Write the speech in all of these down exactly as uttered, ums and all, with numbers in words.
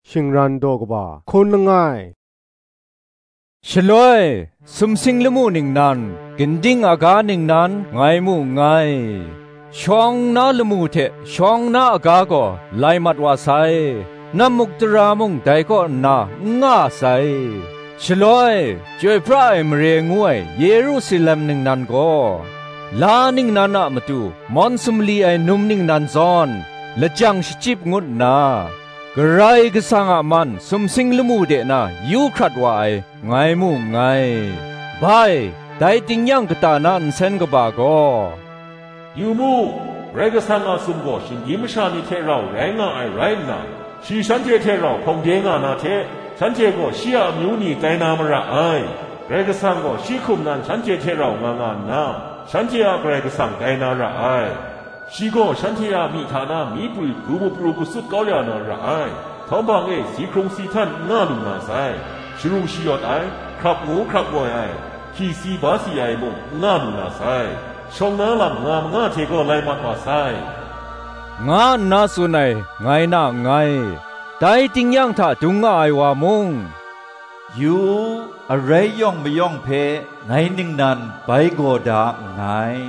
Shingran daw kaba hkaun langai. Shaloi, sumsing lamu ningnan, ginding aga ningnan, ngai mu nngai. Shawng na lamu hte shawng na aga gaw lai mat wa sai, nam muk tara mung dai kaw nna n nga sai. Shaloi, chyoi pra ai mare ngu ai Yerusalem ningnan gaw, la ningnan a matu mawn sumli ai num ningnan zawn, lajang shachyip ngut nna, Karai Kasang a man sumsing lamu de na yu hkrat wa ai, ngai mu nngai. Bai, dai tingnyang kata na nsen kaba gaw, "Yu mu, Karai Kasang a sum gaw shinggyim masha ni hte rau rai nga ai rai nna, shi shanhte hte rau hkawng de nga na hte, shanhte gaw shi a amyu ni tai na mara ai. Karai Kasang gaw shi hkum nan shanhte hte rau nga nga nna, shanhte a Karai Kasang tai na ra ai. Shi gaw shanhte a myi hta na myi prwi pru mupru gasut kau ya na ra ai. Htawm hpang e si hkrung si htan n nga lu na sai. Sharu shayawt ai, hkrap ngu hkrap ngoi ai, hki si ba si ai mung n nga lu na sai. Shawng na lam nga manga hte gaw lai mat wa sai," nga nna tsun ai, ngai na nngai. Dai tingnyang hta dung nga ai wa mung, "Yu u, arai yawng mayawng hpe ngai ningnan bai gaw da nngai,"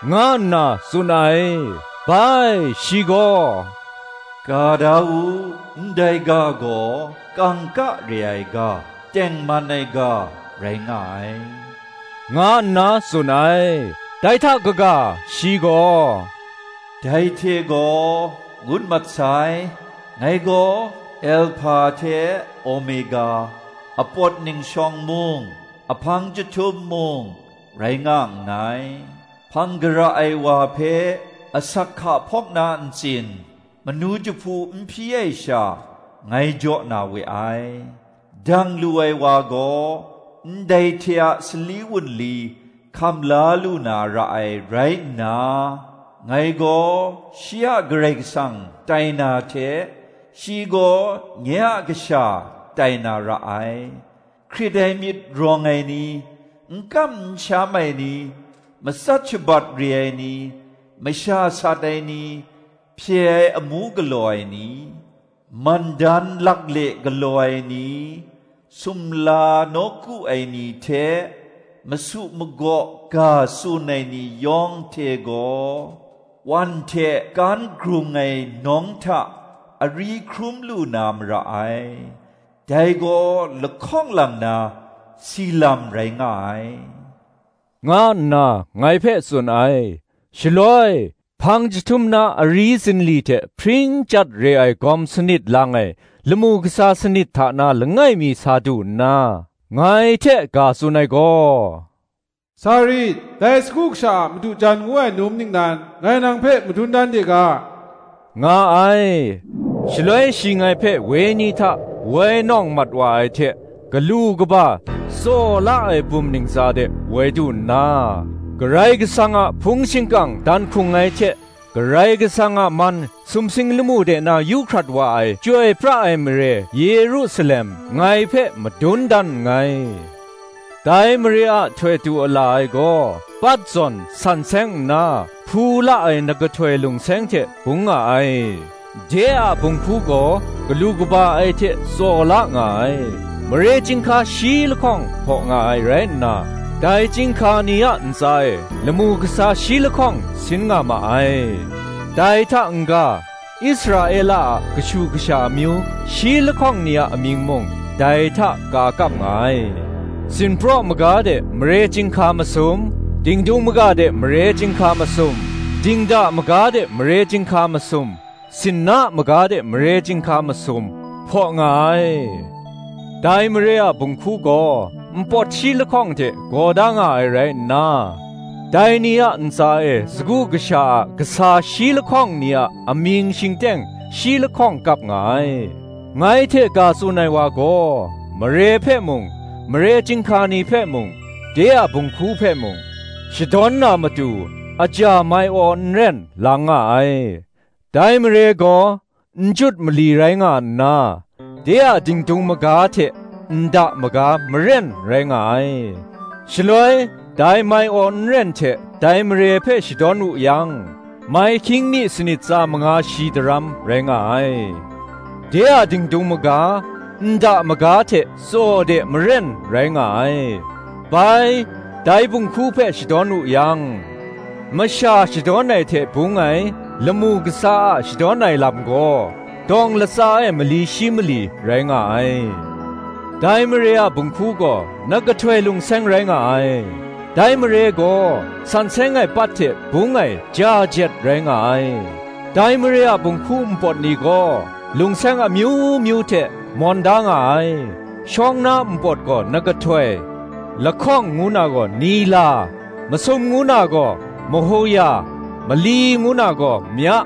nga nna tsun ai. Bai, shi gaw, "Ga da u, ndai ga gaw kangka re ai ga, tengman ai ga rai nga ai," nga nna tsun ai. Dai hta kaga shi gaw, "Dai hte gaw ngut mat sai, ngai gaw Alhpa hte Omega, apawt ningshawng mung, ahpang chyahtum mung, rai nga nngai. Hpang gara ai wa hpe asak hka hpawk na ntsin, manu jahpu n hpyi ai sha, ngai jaw na we ai. Dang lu ai wa gaw, ndai hte a sali wunli hkam la lu na ra ai rai nna, ngai gaw shi a Karai Kasang tai na hte, shi gaw nye a Kasha tai na ra ai. Hkrit ai myit rawng ai ni, n kam n sham ai ni, matsat shabat re ai ni, masha sat ai ni, hpye ai amu galaw ai ni, mandan lakle galaw ai ni, sumla nawku ai ni hte masu magaw ga tsun ai ni yawng hte gaw, wan hte kan grung ai nawng hta ari hkrum lu na mara ai. Dai gaw lahkawng lang na si lam rai nga ai," nga nna ngai hpe tsun ai. Shaloi, hpang jahtum na ari zinli hte hpring chyat re ai gawm sanit lang ai lamu kasa sanit hta na langai mi sa du nna, ngai hte ga tsun ai gaw, "Sa rit, dai sagu kasha a madu jan ngu ai num ningnan ngai nang hpe madun dan de ga," nga ai. Shaloi shi ngai hpe wenyi hta woi nawng mat wa ai hte, galu kaba tsaw la ai bum ntsa de woi du nna, Karai Kasang a hpung shingkang dan hkrung ai hte, Karai Kasang a man sumsing lamu de na yu hkrat wa ai Chyoi pra ai mare Yerusalem ngai hpe madun dan nngai. Dai mare a htoi du ala ai gaw, pat zawn san seng nna, hpu la ai nakahtoi lungseng hte bung nga ai. De a bunghku gaw galu kaba ai hte tsaw la nga ai. Mare chyinghka shi lahkawng hpaw nga ai rai nna, dai chyinghka ni a ntsa e lamu kasa shi lahkawng sin nga ma ai. Dai hta n-ga, Israela a kashu kasha amyu shi lahkawng ni a amying mung dai hta ka kap nga ai. Sinpraw maga de mare chyinghka masum, dingdung maga de mare chyinghka masum, dingda maga de mare chyinghka masum, sinna maga de mare chyinghka masum, hpaw nga ai. Dai mare a bunghku gaw npawt shi lahkawng hte gaw da nga ai rai nna, dai ni a ntsa e sagu kasha a kasa shi lahkawng ni a amying shingteng shi lahkawng kap nga ai. Ngai hte ga tsun ai wa gaw, mare hpe mung, mare chyinghka ni hpe mung, de a bunghku hpe mung, shadawn na matu, aja mai aw n ren lang nga ai. Dai mare gaw, n jut mali rai nga nna, de a dingdung maga hte nda maga maren rai nga ai. Shaloi, dai mai aw n ren hte dai mare hpe shadawn wu yang, mai hkying mi sanit tsa manga shi daram rai nga ai. de a dingdung maga, nda maga hte tsaw de maren rai nga ai. Bai, dai bunghku hpe shadawn wu yang, masha shadawn ai hte bung ai, lamu kasa a shadawn ai lam gaw, dawng latsa e mali shi mali rai nga ai. Dai mare a bunghku gaw nakahtoi lungseng rai nga ai. Dai mare gaw san seng ai pat hte bung ai ja jet rai nga ai. Dai mare a bunghku npawt ni gaw lungseng amyu myu hte mawn da nga ai. Shawng na npawt gaw nakahtoi, lahkawng ngu na gaw nila, masum ngu na gaw mahuya, mali ngu na gaw mya,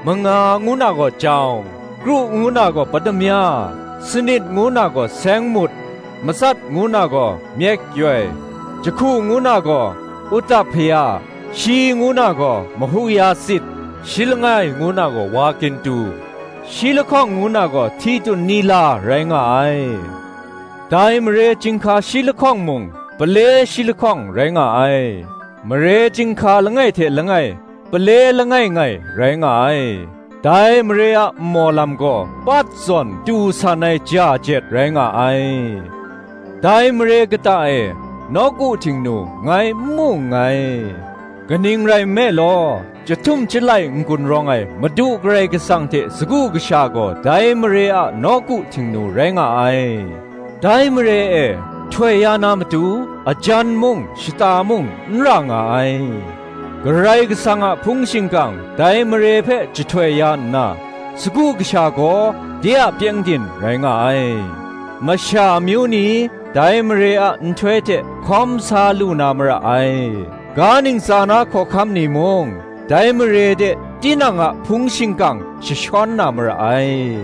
manga ngu na gaw jawng, kru ngu na gaw padamya, sanit ngu na gaw seng mut, matsat ngu na gaw myek yoi, jahku ngu na gaw utap hpaya, shi ngu na gaw mahuya sit, shi langai ngu na gaw wa gintu, shi lahkawng ngu na gaw hti tun nila rai nga ai. Dai mare chyinghka shi lahkawng mung, pale shi lahkawng rai nga ai. Mare chyinghka langai hte langai, pale langai ngai rai nga ai. Dai mare a nmaw lam gaw pat zawn tu san ai ja jet rai nga ai. Dai mare kata e nawku htingnu ngai n mu nngai. Kaning rai nme law, chyahtum chyalai n-gun rawng ai Madu Karai Kasang hte sagu kasha gaw dai mare a nawku htingnu rai nga ai. Dai mare e htoi ya na matu, ajan mung, shata mung n ra nga ai. Karai Kasang a hpung shingkang dai mare hpe jahtoi ya nna, sagu kasha gaw de a pyengdin rai nga ai. Masha amyu ni dai mare a nhtoi hte hkawm sa lu na mara ai. Ga ntsa na hkawhkam ni mung, dai mare de tinang a hpung shingkang jashawn na mara ai.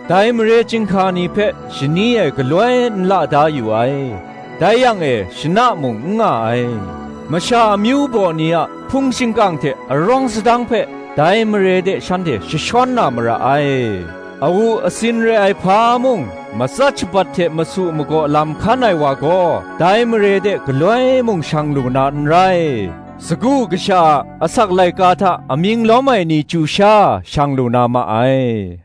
Dai mare chyinghka ni hpe shani e galoi n la da yu ai. Dai yang e shana mung n nga ai. Masha amyu baw ni a hpung shingkang hte arawng sadang hpe dai mare de shanhte jashawn na mara ai. Awu asin re ai hpa mung, matsat shabat hte masu magaw lam hkan ai wa gaw, dai mare de galoi mung shang lu na n rai. Sagu kasha a asak laika hta amying lawm ai ni chyu sha shang lu na ma ai.